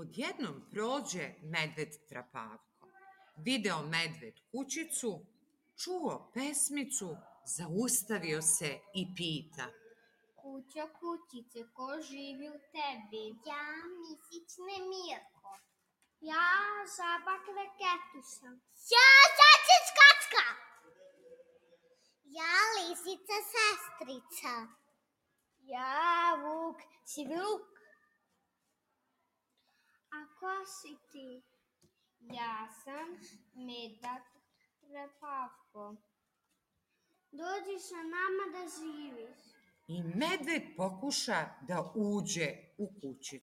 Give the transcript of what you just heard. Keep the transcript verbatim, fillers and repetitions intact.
Odjednom prođe medved trapavko. Video medved kućicu, čuo pesmicu, zaustavio se i pita. Kućo, kućice, ko živi u tebi? Ja, misić Nemirko. Ja, žaba Kleketuša. Ja, zajčić Kacka. Ja, lisica Sestrica. Ja, vuk Sivluk. A ko si ti? Ja sam Medak Trepavko. Dođi sa nama da živiš. I medved pokuša da uđe u kućicu.